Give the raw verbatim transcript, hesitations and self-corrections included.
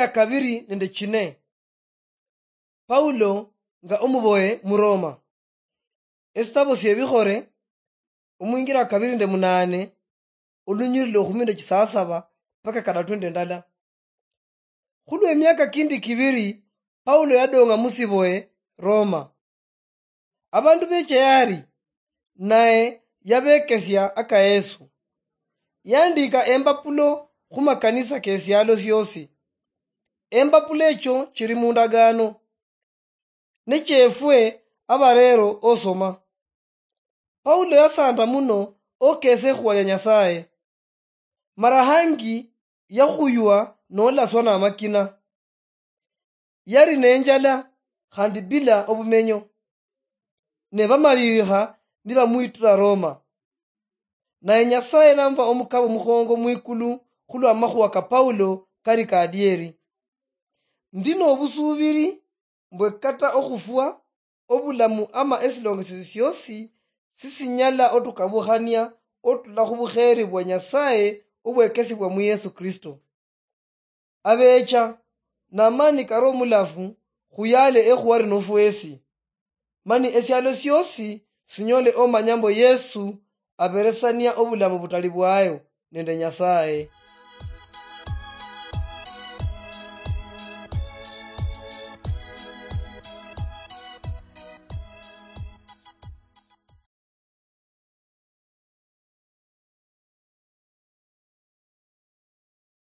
Kabiri nende chine. Paulo nga omuboye mu Roma. Esitabo siebikhore, omwingira wa kabiri nende munane, olunyiriri lwa ekhumi nende chisasaba mpaka kadatu nende ndala. Khulwa emiaka kindi kibiri, Paulo yadong'a musiboye Roma. Abandu becha yari, naye yabekesia aka Yesu. Yandika embapulo khumakanisa kesialo siosi. Embapulo echo chiri mundagano. Nechefwe abarero osoma. Paulo yasanda muno okesa ekhuwa lia Nyasaye. Mara hangi yakhuywa nolaswa namakina. Yari nenjala khandi bila obumenyo. Ne bamalirikha nibamwitula Roma. Naye Nyasaye nampa omukabo mukhongo mwikulu khulwa amakhuwa ka Paulo kari kadieri. Ndi nobusubiri mbwe kata okhufwa, obulamu ama esilongesio siosi sisinyala otukabukhania otula khubukheri bwa Nyasaye obwekesibwa mu Yesu Kristo. Abecha namani kari omulafu khuyale ekhuwa lino fwesi, mani esialo siosi sinyole omanya mbo Yesu aberesania obulamu butali bwayo nende Nyasaye.